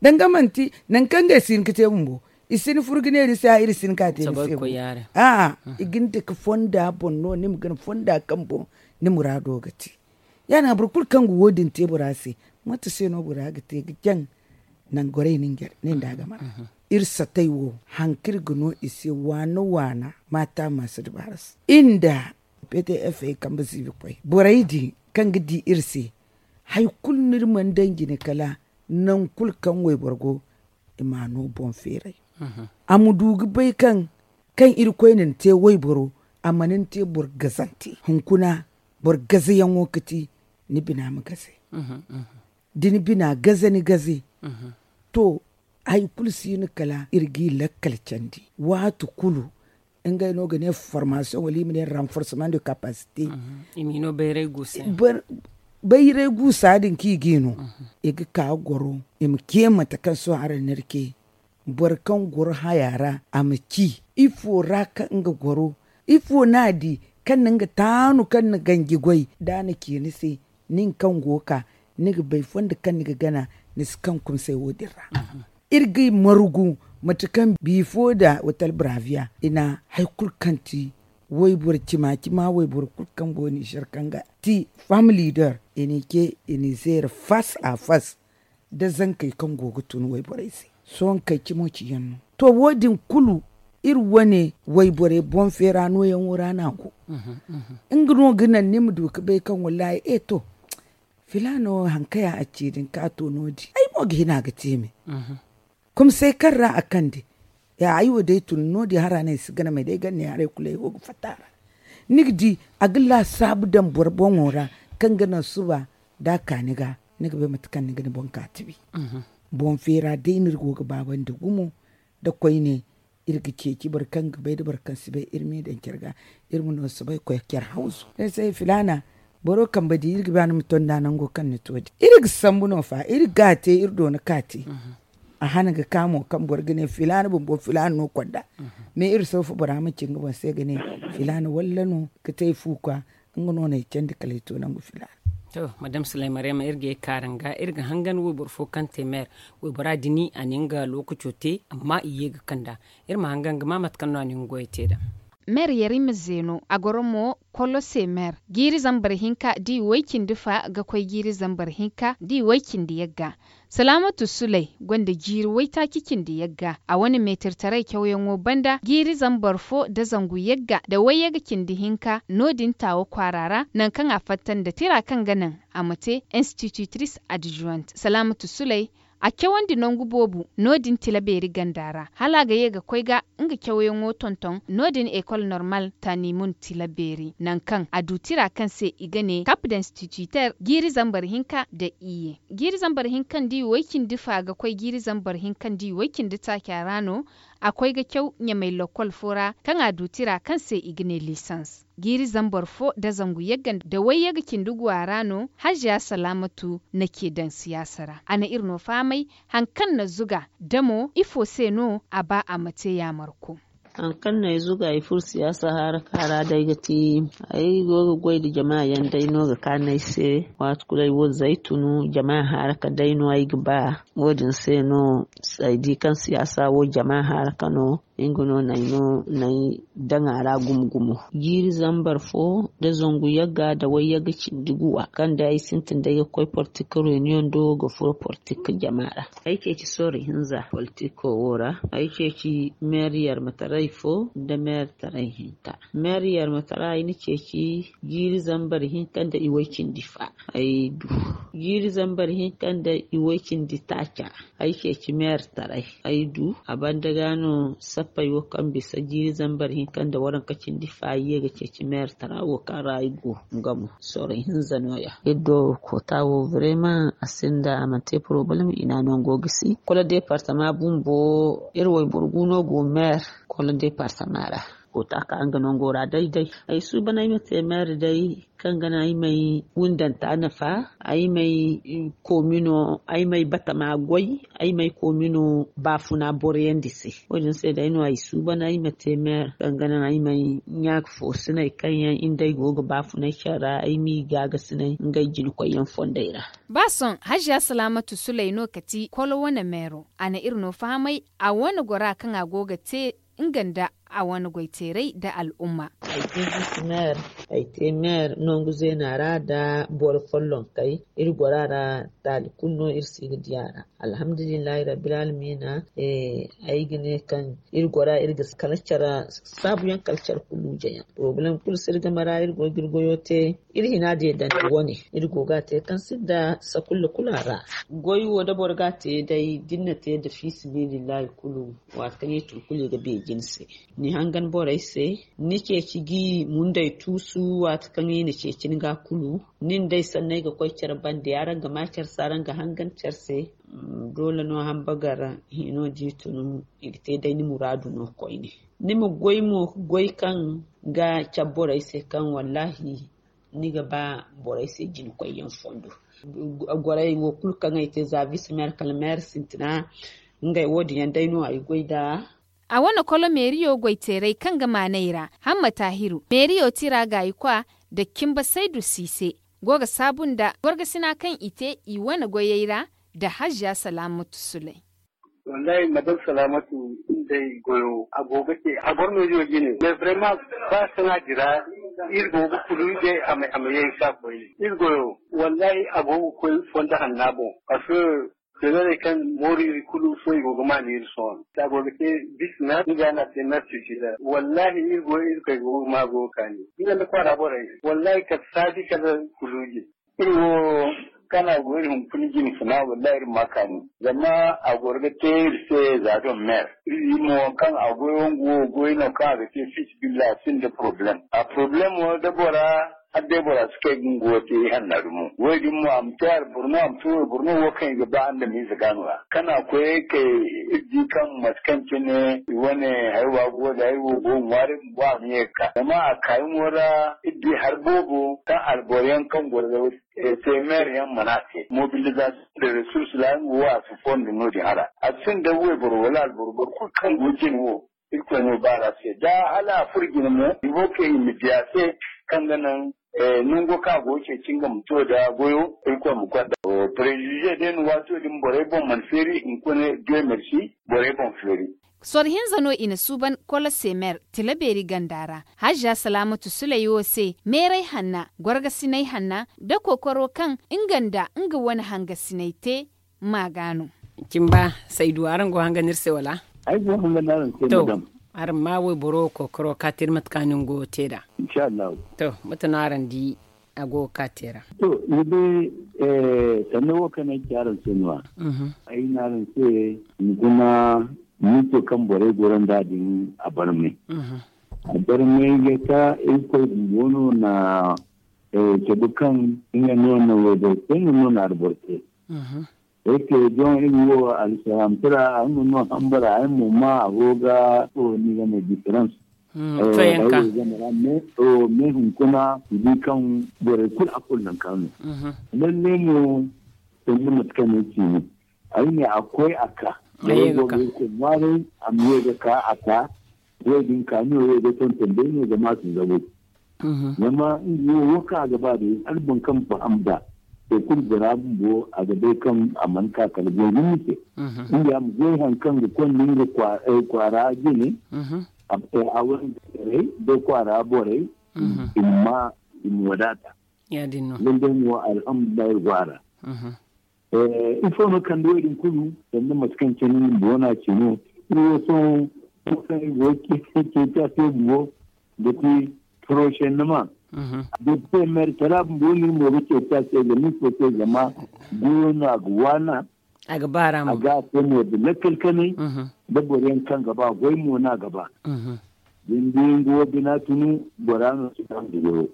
Danga manti naŋ kaŋ ngey si hin ga te bumbo i si ni furo ga ne ni se a iri si hin ka te ni se bumbo. A'a i ga ni dake fonda boŋ no ni ma gana fonda kaŋ boŋ ni muraado ga te. Ya- din a boro kulu kaŋ ga wo- din te bora se mate se no bora ga te ga jaŋ? Nangorey no nda a ga mana iri satay wo haŋ kaŋ iri ga no i se waana waana maata maasa dabaara se iri nda ptf kambe ziibi koy borey din kaŋ ga di iri se hari kulu no iri mana daŋ jine kala naŋ kulu kaŋ wayboro go i ma a no boŋ feeray. A ma du ga bay kaŋ kaŋ irkoy na ni te wayboro a mana ni te boro gazante hunkuna boro gazayaŋo ga ti ni bina ma gaze. Da ni bina gaze ni gaze to hari kulu si no kala iri ga i lakkal candi waati kulu. Ngey no ga ne formation wala i ma ne renforcement de capacité. Bayray guusa din kaŋ i ga i no i ma ce mate kaŋ sohõ araŋ na iri ce boro kaŋ goro haya ra a ma ci ifo ra kaŋ nga goro ifo no a di kaŋ na nga taanu kaŋ na ganji goy da a na ci ni se nin kaŋ go ga ka ni ga bay fondo kaŋ ni ga gana ni si kaŋ kumsay wo- din ra. Iri ga i margu mate kaŋ bifo nda watal braviya i na hari kulu kaŋ ti wayboro cima cima wayboro kulu kaŋ go nizer kaŋ ga ti fam leader i n'i ce i n'i zeeri fas a fas da zankey kaŋ go ga tun wayborey se. Sohõ kay cimo ciyaŋ no to wo- din kulu iri wane wayborey boŋ feera nooyaŋo ra no a go. Nga no ga naŋ ni ma du ga bay kaŋ wallahi e to filaana wo haŋ kaŋ ya a ci din kaŋ a to no- din ay mo ga hin a ga te me. Kumsay kaŋ ra a kande Ya ay wo day tun no- din hara no ay si gana may day gana ne haray kulu ay go ga fatta a ra. Ni ga di a ga laasaabu daŋ boro boŋo ra kaŋ ga naŋ suba da a ka ni ga. Ni ga bay mate kaŋ ni ga ni boŋ ka tibi. Boŋ feera day no iri go ga baabandi gumo nda koyne. Iri ga ceeci boro kaŋ ga bay nda boro kaŋ si bay iri m'i daŋ care ga. Iri ma no soobay koy care hawzu. Ay se filaana boro kambe di iri ga ba ni ma tonda nango kaŋ ni to din iri ga sambu no fa iri ga a te iri doona ka te. A hana ga ka mo kaŋ boro ga ne filaana bumbo filaana no konda. Mais iri soofa bora ma ci nga boŋ se ga ne filaana walla no ga te ay fu kwa. Nga no no ay candi kala ay to nangu filaana. To madame sulay mariyama iri ga ye kaaran ga iri ga hangan wayboro fo kaŋ te meer. Waybora dini a na nga lookaco te amma i ye ga kand'a. Iri ma hangan ga ma mate kaŋ no a na nga goyey te nd'a. Meer yar i ma zeeno a goro mo. Kolo se meer jiiri zambar hinka da i way cindi fa ga koy jiiri zambar hinka da i way cindi yagga. Salaamatu sulay gonda jiiri waytaaci cindi yagga a wane meetirtaray cawyaŋo banda jiiri zambar fo nda zangu yagga nda wayyaga cindi hinka no- din taawa kwaara ra nangu kaŋ a fatta nda tira kaŋ ga naŋ a ma te institutrice adjointe salaamatu sulay. A cawandi nangu boobo no- din tila beeri ganda ra hala a ga ye ga koy ga nga cawyaŋo tonton no- din ekol normal taanimun tila beeri nangu kaŋ a du tira kaŋ se i ga ne kap d'instituter jiiri zambar hinka nda iyye. Jiiri zambar hinka nda i way cindi fa ga koy jiiri zambar hinka nda i way cindi taaca ra no. A koy ga caw ɲamay lokkol fo ra kaŋ a du tira kaŋ se i ga ne lisans. Jiiri zambar fo nda zangu yagga nda wayyaga cindi guwa ra no haziya salaamatu na ce daŋ siyaasa ra a na iri no fahamay. Hari kaŋ na zuga da mo ifo se no a ba a ma te yaamarko. Hari kaŋ no ay zuga ay furo siyaasa haaraka ra day ga ti ay go ga goy nda jama yaŋ day no ga kaanu ay se. Waati kulu ay wo zaytunu jama haaraka day no ay ga ba. Wo- din se no ay di kaŋ siyaasa wo jama haaraka no. Nga no no ay daŋ a ra gumo gumo jiiri zambar fo nda zangu yagga nda wayyagga cindi guwa kaŋ day ay sintin day ga koy portika reniyoŋ do ga furo portika jama ra. Ay ceeci sooro hinza politiko wo ra ay ceeci meer yarmataray fo nda meer taray hinka. Meer yarmataray ay na ceeci jiiri zambar hinka nda iway cindi fa. Ay du jiiri zambar hinka nda iway cindi taaca. Ay ceeci meer taray ay du a banda ga no sappey wo kaŋ bisa jiiri zambar hinka nda waranka cindi fa ay ye ga ceeci meer tara wo kaŋ ra ay go. Nga mo sooro hinza no- ya iri do koota wo brema a sinda a mana te porobalem i na no nga wo gisi kolo departama bumbo. Iri wayboro gu no go meer kolo departama ra. Koota ka nga nango ra day day ay suuban ay ma te meer day kaŋ ga naŋ ay may wundanta nafa ay may koomino ay may batama goy ay may koomino baafuna boroyandi se. Wo- din se day no ay suuban ay ma te meer kaŋ ga naŋ ay may ɲaaka foosiney kaŋ yaŋ nda ay go ga baafunay care ra ay m'i gaagasinay ngey jinakoyyaŋ fondey ra. Ba sohõ haziya salaamatu sulay no ka ti kolo wane meero a na iri no fahamay a wane gora kaŋ a go ga te nga nda a wane goyteeray nda al'umma. Ay te biisi meer ay te meer nangu zeena ra nda boro follonkey. Iri gora ra taali kulu no iri si ga di a ra. Alhamdulillahi rabbil alamina. Ay ga ne kaŋ iri gora iri ga kala care saabuyaŋ kala care kulu jayaŋ porobalem kulu si iri game ra iri go ga iri goyo te. Iri hina deedandi wane iri go ga a te kaŋ sinda sakulla kulu a ra. Goy wo da boro ga a te day da ni na te nda fiisabilillahi kulu. Waati kaŋ i tun kulu i ga beeji ni se ni hangan borey se. Ni ceeci gi mundey tuusu waati kaŋ i na ceeci ni ga kulu. Nin day sanney ga koy care bande araŋ ga ma care se araŋ ga hangan care se. Doole no hambagar hino da i tun i ga te day ni muraadu no koyne. Ni ma goy mo ga goy kaŋ ga care borey se kaŋ wallahi ni ga ba borey se jina koyyaŋ fondo. Gorey wo kulu kaŋ ay te za vice maire kala maire sintina. Ngey wo- din yaŋ day no ay goy nda. A wane kolo meeriyo goyteerey kaŋ ga maanay ra hamma taahiru meeriyo tira gaayikwa nda cimba saydu siise go ga saabu nda gorgasina kaŋ i te i wane goyey ra. Nda haziya salaamatu sulay. Wallahi madam salaamatu nda i goyo a go ga te a goro meeriyo jine mais vraiment ba sanaadi ra. Iri go ga kulu ngey a ma ye ga ka koy iri goyo wallahi a go ga koy fondo hanna boŋ. Parce que feerarey kaŋ mooru iri kulu sohõ i go ga maanu iri sohõ. Za a go ga te bisina nga no a te mercurgida wallahi iri go iri kay go ga ma go ga kaani. Nga nda kwaara borey wallahi kala saaji kala kuluuji. Iri wo Kaŋ a go iri hunkuna jine funa, wallahi iri ma kaani. Zama a goro ga te iri se za don mer. Iri di mo kaŋ a goyo nga wo goy no kaŋ a ga te fit billa, a sinda problem. A problem wo da bora, har day bora si kay ga nga wo te i hanna dumo. Wo-din mo a ma te alboro no, a ma te wayboro no, wo kaŋ i ga ba andamize ga no ra. Kaŋ a koy kay iri di kaŋ mate kaŋ cine i wane haywa go da, haywo go ŋwaari bumbo a ma ye ga ka. Zama a kaayaŋo ra iri di hari boobo kaŋ alboro yaŋ kaŋ goro ga te mer yaŋ mana te. Mobilisation de ressources ra nga wo a si fondo no-din hara. A sinda wayboro wala alboro, boro kulu kaŋ go jine wo, Irkoy no baar'a se. Da hala a furo jine mo, i go kay i ma di a se kaŋ ga naŋ nango kaŋ a go ga ceeci nga ma to da goyo, Irkoy ma konda. Préjugé day no waato din borey boŋ mana feeri, hunkuna Dieu merci, borey boŋ feeri. Soro hinza no i na suuban Kolosemer tila beeri ganda ra. Hajja Salaamatu Suley wo se, meeray hanna, gorgasinay hanna, da kookaro kaŋ nga nda nga wane hangasinay te, ma ga no. Cimba, Saydu, araŋ go hanga no iri se, wala? Ay go hanga no araŋ se, madam. Araŋ ma wayboro kookaro ka te iri mate kaŋ ni go ga te nd'a. Inshallahu. To, mate no araŋ di a go ga ka te ra? To, ni bay, sanda wo kaŋ ay ci araŋ se no-ya. Ay ne araŋ se, hunkuna miso kaŋ borey goro nd'a din, a barmay. A barmay ga ka Irkoy bumbo no na cabe kaŋ nga no na wayboro te, nga no na alboro te. Eke don iri wo alsihamtara, ay mo no hambara, ay mo ma a go ga, to, ni ga ne différence. Fayanka. Mais hunkuna i di kaŋ borey kulu a kulu nangu kaŋ no. Lalle mo, sanda mate kaŋ no ay ci no. Ay ne a koy a ka. Borey go ga Irkoy ŋwaaray, a ma ye ga ka a ka. Wo-din kaani wo ye ga tonton day no zama a si zabu. Zama nga wo, wo kaŋ a ga ba day, hala boro kaŋ faham nd'a, to, kulu bora bumbo a ga bay kaŋ a mana ka kala goy hinne se. Nga ya ma goy haŋ kaŋ ga konda nga kwaara jine, a wane borey da kwaara borey, i ma ma, i ma wadaata. Lalle mo, alhamdulillahi, iri go a ra. Ifo no kande wo-din kulu? Sanda mate kaŋ cine ni bumbo no a ci no, iri wo sohõ, wo kaŋ iri go ga ceeci a se bumbo, ga ti prochainement. Da iri te maire kala bumbo no iri mo ga ceeci a se, zama ifo se? Zama goyo no a ga waana. A ga a te mo da lakkal kanay, da boro yaŋ kaŋ ga ba goy mo no a ga ba. Da ni di nga wo bina tunu, bora no si faham da goyo.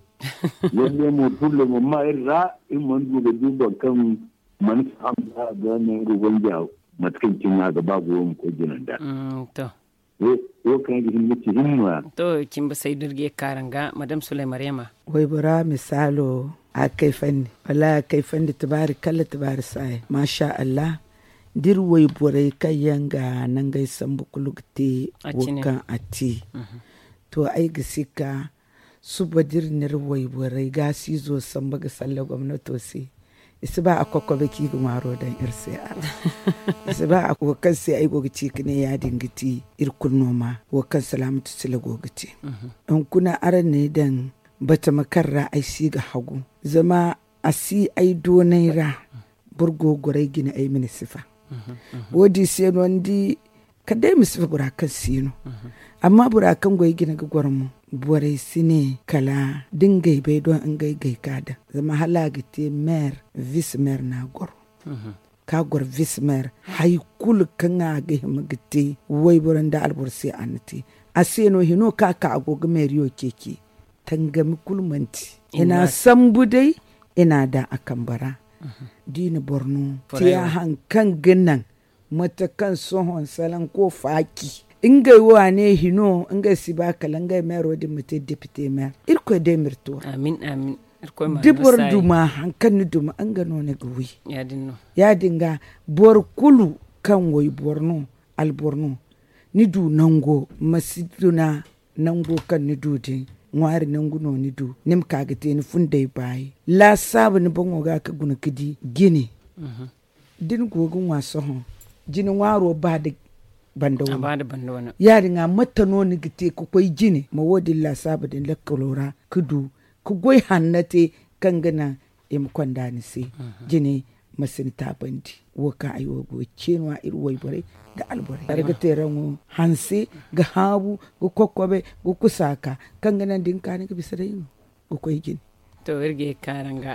Lalle mo, problème ma iri ra, iri mana du ga du boro kaŋ mana faham da a ga nangu wanja, mate kaŋ cine a ga ba goyo ma koy jina nd'a. To, wo kaŋ ga hin ga ci hin no-ya. To, cimba Saydu, iri ga ye ga ka araŋ ga, Madame Souley Mariama. Waybora misaalo, a kayfandi. Wallaahi, a kayfandi, tibaari kalla, tibaari saaya. Masha Allah, da iri wayborey kaŋ yaŋ ga nangey sambu kulu ga te wo kaŋ a te. To, ay ga sikka, suba da iri na iri wayborey gaasiizo samba ga salla gomnato se, i si ba a kokobe kaŋ i ga ŋwaaro daŋ iri se a ra. I si ba a, wo kaŋ se ay go ga ci ga ne ya-din ga ti, iri kulu no ma wo kaŋ Salaamatu Sila go ga te. Hunkuna araŋ n'ay daŋ batama kaŋ ra ay si ga hagu. Zama a si ay doonay ra, boro go ga goro ay jine ay ma ni sifa. Wo-din se no ni di, kala day ay ma sifa bora kaŋ si no. Amma bora kaŋ go ay jine ga goro mo, borey si ne kala da ngey bay doŋ ngey gay ka daŋ. Zama hala a ga te maire, vice maire no a goro. Ka goro vice maire, hay kulu kaŋ a ga hima ga te wayboro nda alboro se, a na te. A se no hino ka ka a go ga mairiyo ceeci. Tangami kulu manti. I n'a sambu day, i n'a daŋ a kambe ra. Da i na boro no te a haŋ kaŋ ga naŋ, mate kaŋ sohõ salaŋ ko faaci. Ngey wo a ne hino, ngey si ba kala ngey mairo din ma te député maire. Irkoy day ma iri to a ra. Da boro duma haŋ kaŋ ni duma, nga no ni ga wi. Ya-din ga, boro kulu kaŋ wayboro no, alboro no, ni du nango, ma si duna nango kaŋ ni du din, ŋwaari nangu no ni du, ni ma ka ga te ni fundey baayi. Laasaabu ni boŋo ga ka guna ga di jine. Da ni go ga ŋwa sohõ, jine ŋwaaro ba da banda wane. Ya-din ga, mate no ni ga te ka koy jine ma wo-din laasaabu din lakkalo ra ka du, ka goy hanno te kaŋ ga naŋ i ma konda ni se. Jine ma si ni taabandi. Wo kaŋ ay wo go ga ce no-ya iri wayborey nda alborey. Hari ga teeraŋo hanse, ga haabu, ga kokobe, ga kusa ka, kaŋ ga naŋ da ni ka ni ga bisa day no ga koy jine. To, iri ga ye ga ka araŋ ga,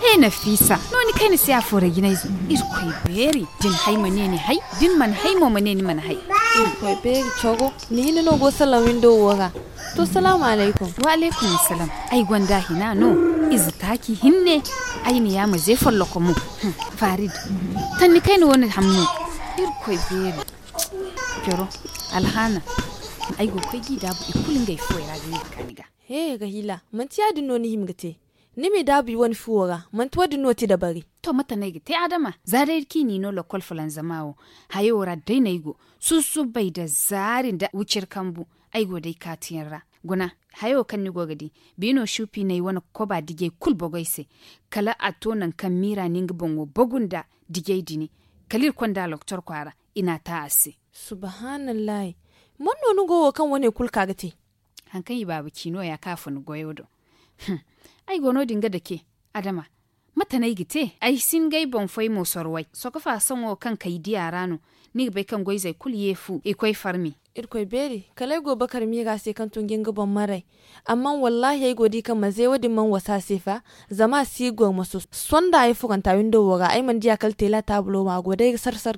He, nafiisa, no ni kay ni se a fooray jinayze? Irkoy beeri. Da ni hay ma ne ni hay. Da ni mana hay mo ma ne ni mana hay. Irkoy beeri, cogo. Ni hinne no go salaŋ windo wo ra. To, salaamu alaykum. Wa alaykum assalam. Ay gonda hina no. Ize taaci hinne. Ay ni yaama ze follokomo. Farid, tanni kayna wane hamno. Irkoy beeri. Coro, alhaana. Ay go ga koy ga i daabu i kulu ngey fuwey ra ga ne ga ka ni ga. He, rahila, manti ya- din no ni hima ga te? Ni m'i daabu i wane fuwo ra, manti wo- din no ti dabari. To, mate no ay ga te, adama? Za day kaŋ i n'i no lokol fulanzama wo, hayo ra day no ay go. Susubbay nda zaari nda wicir kambu, ay go day kaatiyaŋ ra. Guna, hayo kaŋ ni go ga di, biino suupi no ay wane koba dijey kulu bogoy se. Kala a to nangu kaŋ miira na nga boŋo bogu nda dijey dini. Kala iri konda loktor kwaara, i n'a ta a se. Subahanallahi. Man no ni go wo kaŋ wane kulu ka ga te? Haŋ kaŋ i baaba ci no- ya kaŋ a fun goyo do. Ay go no- din ga dake, adama. Mate no ay ga te? Ay si ngey boŋ fay mo sorway. Sokofa soŋo kaŋ kay di a ra no, ni ga bay kaŋ goyzey kulu ye fu i koy farmi. Irkoy beeri, kala ay go bakar miira se kaŋ tun ga nga boŋ maray. Amma wallahi ay go di kaŋ maze wo- din mana wasa a se fa. Zama a si ga goro maso. Sonda ay furanta windo wo ra, ay mana di a kala teela taabulo ma a go day ga sar-sar.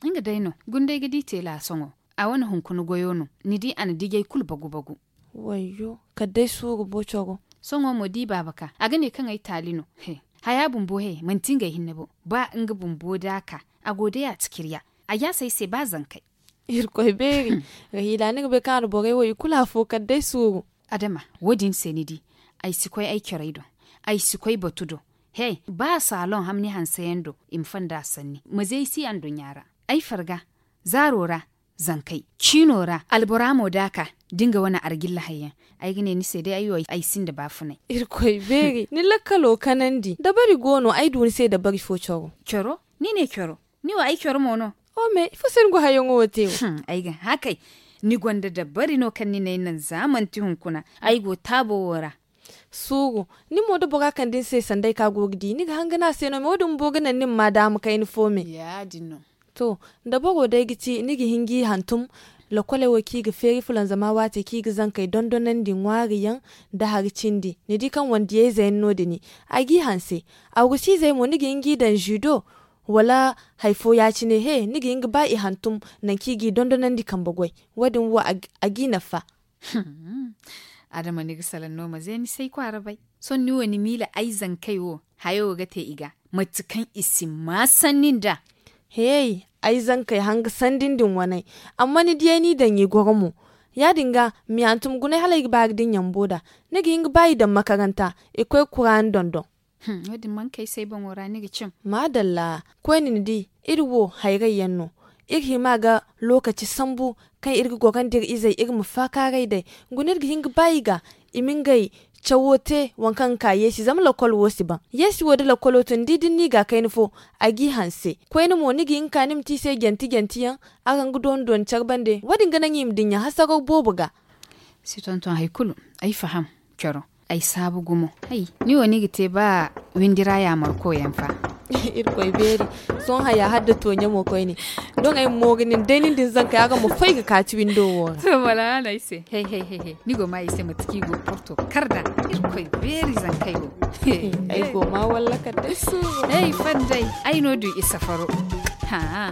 Nga day no. Gunda ay ga di teela soŋo. A wane hunkuna goyo no. Ni di a na dijay kulu bagu-bagu. Wayyo, kala day suuru bo coro. Sohõ mo da i baaba ka, a ga ne kaŋ ay taali no. He, haya bumbo he, manti ngey hinne bo. Ba nga bumbo da a ka, a go day a tikirya. A jaasay se ba zankay. Irkoy beeri. Rahila, ni ga bay kaŋ a na borey wo i kulu afo kala day suuru. Adama, wo- din se ni di, ay si koy ay corey do. Ay si koy batu do. He, ba saloŋ hamni hanseyaŋ do i ma fonda sanni ma ze ay si anduɲɲa ra. Ay farga, zaaro ra, zankey ciino ra albora mo da a ka, da nga wane arjilla hayyaŋ. Ay ga ne ni se day ay wo ay sinda baafunay. Irkoy beeri, ni lakkalo kanandi dabari go no ay du ni se dabari fo coro. Coro? Ni ne coro? Ni wo ay coro mo no. O me ifo se ni go hayyaŋo wo te wo? Ay ga hã kay. Ni gonda dabari no kaŋ ni n'ay naŋ za manti hunkuna ay go taabo wo ra. Suuru, ni mo da bora kande ni se sanda ay kaŋ a go ga di ni ga hanga no a se no me wo- din bumbo ga naŋ ni ma ma daama kayna fo me. To, dabaro day ga ti ni ga hin g'i hantum. Lokoley wo kaŋ i ga feeri fulanzama waate kaŋ i ga zankey dondonandi ŋwaari yaŋ, nda hari cindi ni di kaŋ wandiyayze yaŋ no- din. A g'i hanse. Awrusiizey mo ni ga hin g'i daŋ zido, wala hari fo ya- cine he ni ga hin ga ba i hantum, nangu kaŋ i g'i dondonandi kambe goy. Wo- din wo a g'i nafa. Adama, ni ga salaŋ no ma ze ni s'ay kwaara bay. Sohõ ni wo ni miila ay zankey wo, hayo wo ga te i ga, mate kaŋ i si maa sanni nd'a. Hey, ay zankey hanga sandin din waney. Amma ni diyay ni daŋ i goro mo. Ya- din ga ma i hantum gunay hala ay ga ba ga din yambo nd'a. Ni ga hin ga ba i daŋ makaranta i koy kuraani dondon. Wo- din mana kay se ay boŋo ra ni ga cim. Maadalla. Koyne ni di, iri wo hayray yaŋ no. Iri hima ga lookaci sambu kaŋ iri ga gorandi iri izey iri ma faakaaray day. Guna iri ga hin ga ba i ga i ma ngey cawo te waŋ kaŋ ga ka yeesi zama lakkol wo si baŋ. Yeesi wo da lakkolo to ni di da ni n'i ga kayna fo, a g'i hanse. Koyne mo ni ga hin ga ka ni ma te i se jante jante yaŋ, araŋ ga dooni dooni care bande wo- din ga naŋ i ma dinya hasaraw boobo ga. Si tonton hari kulu. Ay faham. Coro. Ay saabu gumo. Hay, ni wo ni ga te ba windi ra yaamar koyaŋ fa. Irkoy beeri. Sohõ haya hala da toonya mo koyne. Doŋ ay ma mooru nin day nin din zankey araŋ ma fay ga kaati windo wo ra. To wala hala ay se. Hay hay hay hay, ni go ma ay se mate kaŋ i go porto kar nd'a. Irkoy beeri zankey wo. Ay go ma walla kala day suuru. Ay fanday. Ay no du i safaro. Haa.